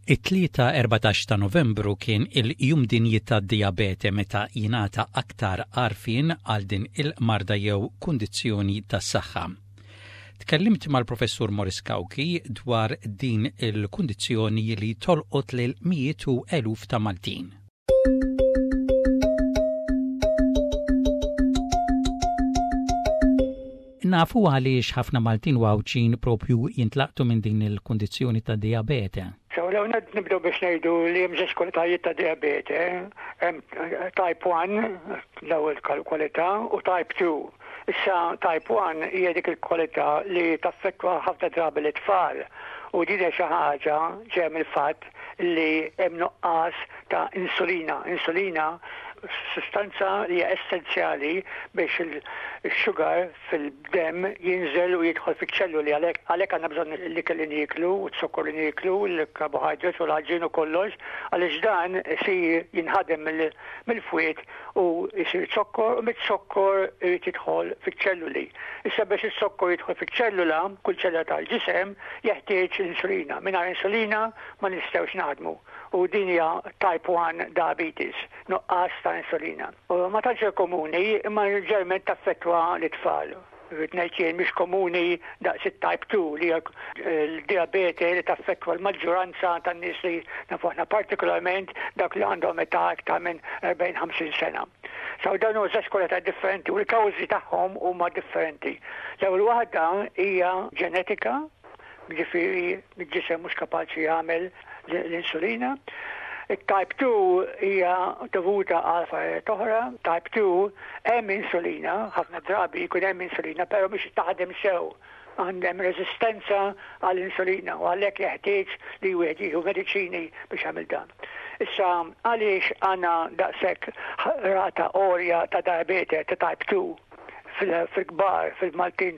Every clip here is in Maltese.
It-Tlieta 14 ta' Novembru kien il-Jum Dinji tad-Dijabete meta jingħata aktar għarfien għal din il-marda jew kundizzjoni tas-saħħa. Tkellimt mal-Professur Maurice Cauchi dwar din il-kundizzjoni li tolqot lil mijiet u eluf ta' Maltin. Nafu għaliex ħafna Maltin u Għawdxin propju jintlaqtu minn din il-kundizzjoni ta' dijabete. So, l-ewwel nett nibdew biex ngħidu li hemm żewġ kwalitajiet ta' dijabete, hemm type 1, l-ewwel kwalità, u type 2. Issa type 1 hija dik il-kwalità li taffettwa ħafna drabi lit-tfal u din hija xi ħaġa ġejja mill-fatt li hemm nuqqas ta' insulina. Insulina sustanza li hija essenzjali biex il-sugar fil-demm jinżel u jidħol fiċ-ċelluli għalhekk għalhekk għandna bżonn l-ikel li nieklu u z-zokkor li nieklu, l-carbohydrates u l-għaġin u kollox għaliex dan isir jinħadem mill-fwied u jsir zokkor u miz-zokkor irid jidħol fiċ-ċelluli. Issa biex iz-zokkor jidħol fiċ-ċellula, kull ċellula tal-ġisem jeħtieġ l-insulina. Mingħajr insulina ma nistgħux naħdmu u din hija type 1 diabetes, nuqqas ta' insulina. U ma tantx hija komuni imma ġeneralment taffettwa lit-tfal. Irrid ngħid jien mhix komuni daqs it-type 2 li hija l-dijabete li taffettwa l-maġġuranza tan-nies li nafu aħna partikolarment dawk li għandhom età iktar minn 40-50 sena. So dawn huma żewġ kwalitajiet differenti u l-kawżi tagħhom huma differenti. L-ewwel waħda hija ġenetika, jiġifieri l-ġisem mhux kapaċi jagħmel l-insulina. It-type 2 hija dovuta għal affarijiet oħra. Type 2 hemm insulina, ħafna drabi jkun hemm insulina, però mhix taħdem sew. Għandhem reżistenza għall-insulina u għalhekk jeħtieġ li wieħed jieħu mediċini biex jagħmel dan. Issa għaliex għandna daqshekk rata għolja ta' diabete ta' type 2 fil-kbar, fil-Maltin,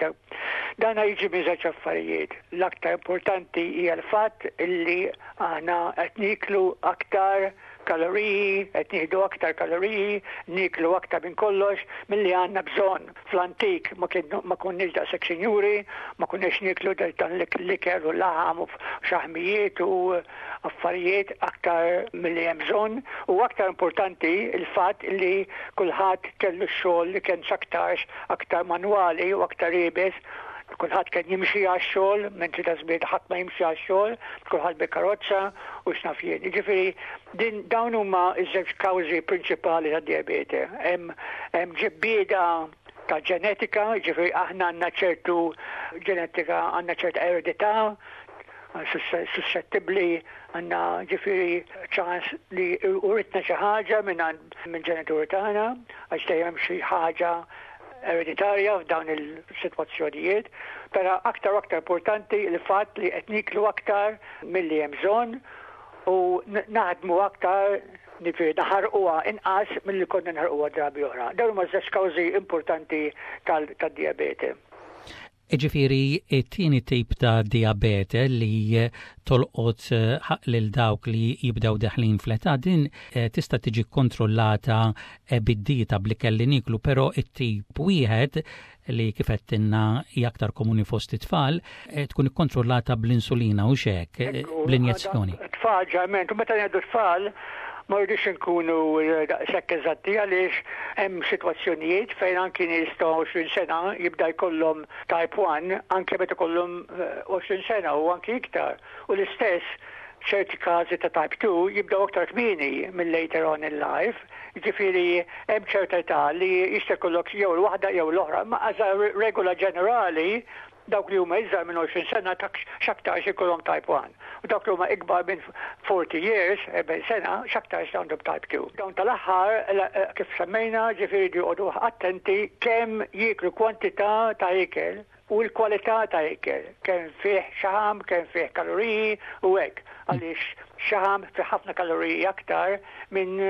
dan jiġi minn żewġ affarijiet. L-aktar importanti hija l-fatt illi aħna qed nieklu aktar kaloriji, qed nieħdu aktar kaloriji, nieklu aktar minn kollox milli għandna bżonn. Fl-antik ma konniex daqshekk sinjuri, ma konniex nieklu dan l-ikel u laħam u xaħmijiet u affarijiet aktar milli hemm bżonn u aktar importanti l-fatt li kulħadd kellu x-xogħol li kien x'aktarx aktar manwali u aktar iebes, kulħadd kien jimxi għax-xogħol, mentri ta' żmien ħadd ma jimxi għax-xogħol, kulħadd bil-karozza u x'naf jien. Jiġifieri din dawn huma ż-żewġ kawżi prinċipali tad-dijabete. Hemm hemm ġebbieda ta' ġenetika, jiġifieri aħna għandna ċertu ġenetika, għandna ċerta eredità suscettibbli għandna ġifieri ċans li uritna xi ħaġa minn minn ġenituri tagħna għax dejjem xi ħaġa ereditarja f'dawn il-sitwazzjonijiet, però aktar u aktar importanti l-fatt li qed niklu aktar milli hemm bżonn u naħdmu aktar Jiġifieri naħarquha inqas milli konna naħarquha drabi oħra. Dawn huma żewġ kawżi importanti tad-dijabete. Jiġifieri t-tieni tip ta' dijabete li tolqot lil dawk li jibdew deħlin fl-età din tista' tiġi kkontrollata bid-dieta bl-ikel li nieklu, però t-tip wieħed li kif għedtilna hija aktar komuni fost it-tfal, tkun ikkontrollata bl-insulina u x'hekk, bl-injezzjoni. Tfal ġeneralment, u meta ngħidu tfal ma rridux inkunu daqshekk eżatti għaliex hemm sitwazzjonijiet fejn anki nies ta' 20 sena jibda jkollhom type 1 anke meta jkollhom 20 sena u anki iktar. U l-istess ċerti każi ta' type 2 jibdew aktar kmieni minn later on in life. Jiġifieri hemm ċerta età li jista' jkollok jew l-waħda jew l-oħra, imma as a regola ġenerali dawk li huma iżgħar minn 20 sena x'aktarx ikollhom type 1 u dawk li huma ikbar minn 40 years, 40 sena, x'aktarx għandhom type 2. Dawn tal-aħħar kif semmejna ġifieri jridu joqogħdu attenti kemm jieklu kwantità ta' ikel u l-kwalità ta' ikel, kemm fih xaħam, kemm fih kaloriji u hekk, għaliex xaħam fih ħafna kaloriji aktar minn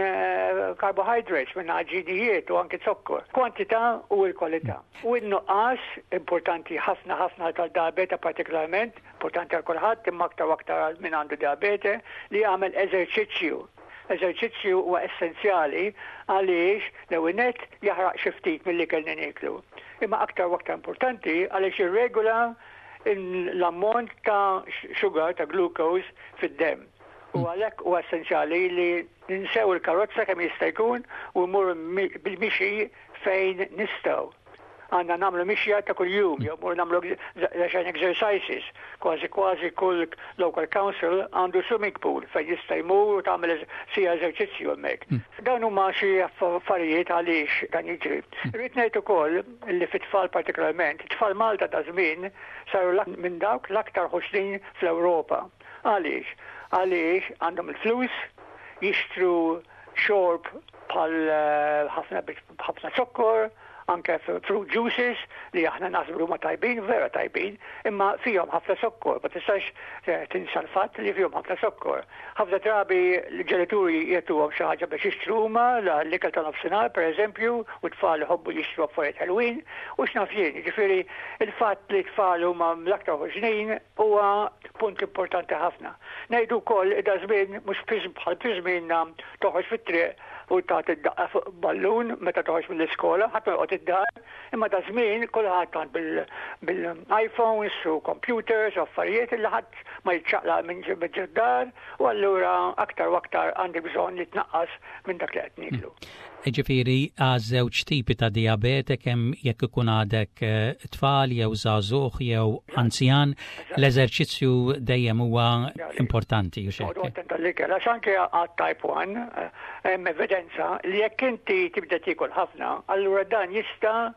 carbohydrates, minn għaġinijiet u anki zokkor. Kwantità u l-kwalità. U n-nuqqas, importanti ħafna ħafna tal-diabete partikolarment, importanti għal kulħadd imma aktar u aktar għal min għandu diabete, li jagħmel eżerċizzju. Eżerċizzju huwa essenzjali għaliex l-ewwel nett jaħraq xi ftit mill-ikel li nieklu. Imma aktar u aktar importanti għaliex jirregola l-ammont ta' sugar, ta' glucose fid-demm. U għalhekk huwa essenzjali li ninsew il-karozza kemm jista' jkun u mmorru bil-mixi fejn nistgħu. Għandna nagħmlu mixja ta' kuljum jew mmorru nagħmlu daqsxejn exercises. Kważi kważi kull local council għandu swimming pool fejn jista' jmur u tagħmel siegħa eżerċizzju hemmhekk. Dawn huma xi affarijiet għaliex dan jiġri. Irrid ngħid ukoll li fit-tfal partikolarment, it-tfal Malta ta' żmien saru minn dawk l-aktar ħoxnin fl-Ewropa. Għaliex? Għaliex għandhom il-flus jixtru xorb bħal ħafna b'ħafna zokkor, anke fruit juices li aħna naħsbu huma tajbin, vera tajbin, imma fihom ħafna zokkor, ma tistax tinsa l-fatt li fihom ħafna zokkor. Ħafna drabi l-ġenituri jagħtuhom xi ħaġa biex jixtru huma l-ikel ta' nofsinhar pereżempju, u t-tfal iħobbu jixtru affarijiet ħelwin, u x'naf jien, jiġifieri il-fatt li t-tfal huma l-aktar ħoxnin huwa punt importanti ħafna. Ngħidu wkoll li da żmien mhux bħal fi żmienna toħroġ fit-triq u tagħti daqqa fuq ballun meta toħroġ mill-iskola, ħadd ma joqgħod id-dar, imma da żmien kulħadd għand bil-iPhones u computers u affarijiet li ħadd ma jiċċaqlaq minn ġod-dar u allura aktar u aktar għandek bżonn li tnaqqas minn dak li qed nieklu. Jiġifieri għaż-żewġ tipi ta' dijabete kemm jekk ikun għadek eh, tfal jew żagħżugħ jew anzjan, l-eżerċizzju dejjem huwa importanti. Attent għall-ikel, għax anke għat type 1 eh, hemm evidenza li jekk inti tibda tiekol ħafna, allura dan jista'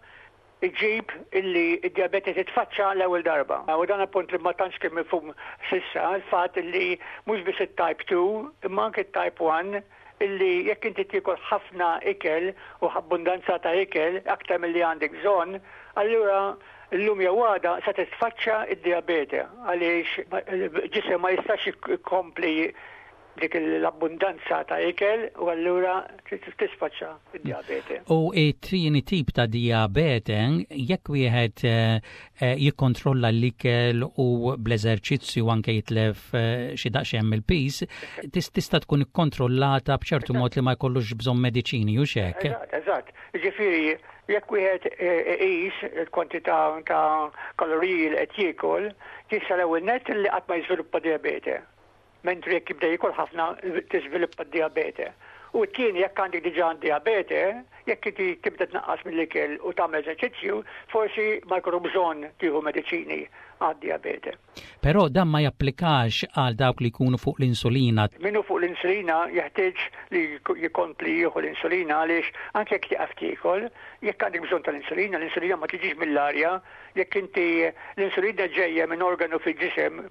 iġib illi d-dijabete titfaċċa l-ewwel darba. U dan appunt li ma tantx kien mifhum s'issa, il-fatt illi mhux biss it-type 2 imma anke t-type 1 illi jekk inti tiekol ħafna ikel u abbundanza ta' ikel aktar milli għandek bżonn, allura llum jew għada se titfaċċa d-dijabete għaliex il-ġisem ma jistax ikompli dik l-abbundanza ta' ikel u allura tisfaċċa d-dijabete. U t-tieni tip ta' dijabete, jekk wieħed eh, eh, jikkontrolla l-ikel u bl-eżerċizzju anke jitlef eh, xi daqsxejn mill-piż, tista' tkun ikkontrollata b'ċertu mod li ma jkollux bżonn mediċini u xek. Eżatt, eżatt. Ġifieri, jekk wieħed iqis il-kwantità ta' kaloriji li qed jiekol, jista' l-ewwel nett li qatt ma jiżviluppa dijabete. Mentri jekk jibda jiekol ħafna tiżviluppa d-dijabete. U t-tieni jekk għandek diġà dijabete, jekk inti tibda tnaqqas mill-ikel u tagħmel eżerċizzju, forsi ma jkollu bżonn tieħu mediċini għad-dijabete. Però dan ma japplikax għal dawk li jkunu fuq l-insulina. Min hu fuq l-insulina jeħtieġ li jkompli jieħu l-insulina għaliex anke jekk tieqaf tiekol, jekk għandek bżonn tal-insulina, l-insulina ma tiġix mill-arja, jekk inti l-insulina ġejja minn organu fil-ġisem,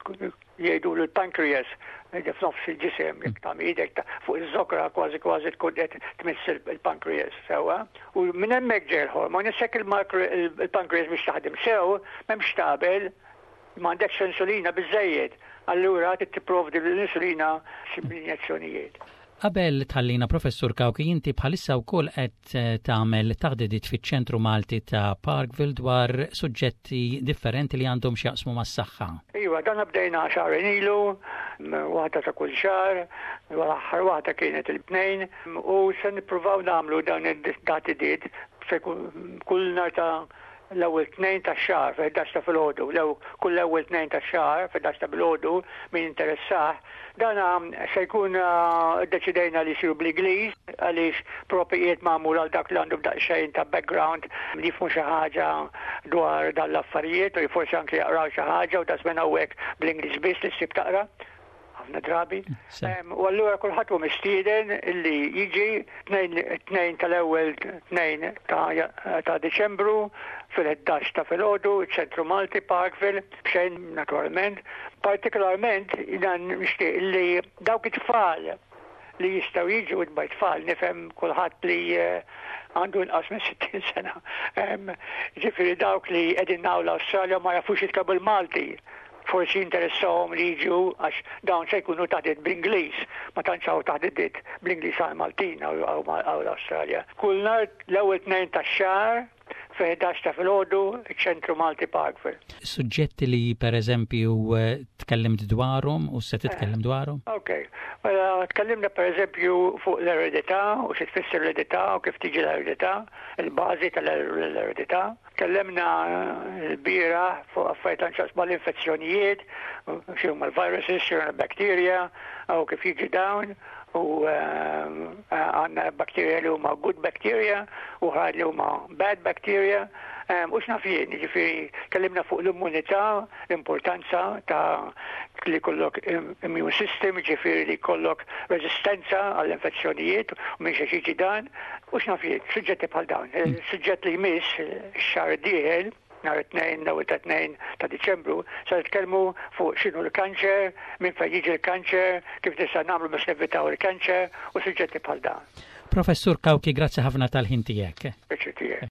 Jgħidulu l-pancreas, f'nofs il-ġisem, jekk tagħmel idek fuq iż-żokra kważi kważi tkun qed tmiss il-pancreas sewwa. U minn hemmhekk ġej il-hormon, issa jekk il-pancreas biex taħdem sew, m'hemmx tagħmel, m'għandekx insulina biżżejjed. Allura trid tipprovdi l-insulina bl-injezzjonijiet. Qabel tħallina Professur Cauchi inti bħalissa wkoll qed eh, tagħmel taħdidiet fiċ-Ċentru Malti ta' Parkville dwar suġġetti differenti li għandhom x'jaqsmu mas-saħħa. Iva, dan bdejna xahrejn ilu, waħda ta' kull xahar, l-aħħar waħda kienet il-tnejn, u se nippruvaw nagħmlu dawn it-taħdidiet se kull nhar ta' l-ewwel tnejn tax-xahar fil-11 ta' filgħodu, kull l-ewwel tnejn tax-xahar fil-11 ta' bilgħodu min interessah. Dan se jkun ddeċidejna li jsiru bl-Ingliż għaliex proprju qiegħed magħmul għal dak li għandu daqsxejn ta' background li jifhmu xi ħaġa dwar dan l-affarijiet u forsi anke jaqraw xi ħaġa u da żmien hawnhekk bl-Ingliż biss li ssib taqra ħafna drabi. U allura kulħadd hu mistieden illi jiġi tnejn tal-ewwel tnejn ta' Diċembru fil-11 ta' filgħodu, ċentru Malti, Parkville, b'xejn naturalment. Partikolarment dan nixtieq li dawk it-tfal li jistgħu jiġu by tfal nifhem kulħadd li eh, għandu inqas minn 60 sena. Ġifieri dawk li qegħdin l-Awstralja ma jafux jitkellmu l-Malti forsi jinteressahom li jiġu għax dawn se jkunu taħdiet bl-Ingliż, ma tantx hawn taħdidiet bl-Ingliż għal Maltin hawn l-Awstralja. Kull nhar l-ewwel tnejn tax-xahar fi 11 ta' filgħodu ċ-Ċentru Malti Parkville. Suġġetti li pereżempju eh, tkellimt dwarhom u se titkellem dwarhom? Ok. Mela tkellimna pereżempju fuq l-eredità u xi tfisser l-eredità u kif tiġi l-eredità, il-bażi tal-eredità. Tkellimna l-bieraħ fuq affarijiet għal x'jaqsmu mal-infezzjonijiet, x'inhuma l-viruses, x'inhuma l-bacteria. u kif jiġi dawn u għandna bacteria li huma good bacteria u oħrajn li huma bad bacteria. U x'naf jien, jiġifieri tkellimna fuq l-immunità, l-importanza ta' li jkollok immune system, jiġifieri li jkollok reżistenza għall-infezzjonijiet u minn xiex jiġi dan, u x'naf jien, suġġetti bħal dawn. Il-suġġett li jmiss ix-xahar id-dieħel, nhar it-Tnejn, l-ewwel ta' Tnejn ta' Diċembru, se nitkellmu fuq x'inhu l-kanċer, minn fejn jiġi l-kanċer, kif nista' nagħmlu biex nevitaw il-kanċer u suġġetti bħal dawn. Professur Cauchi, grazzi ħafna tal-ħin tiegħek. Pjaċir tiegħi.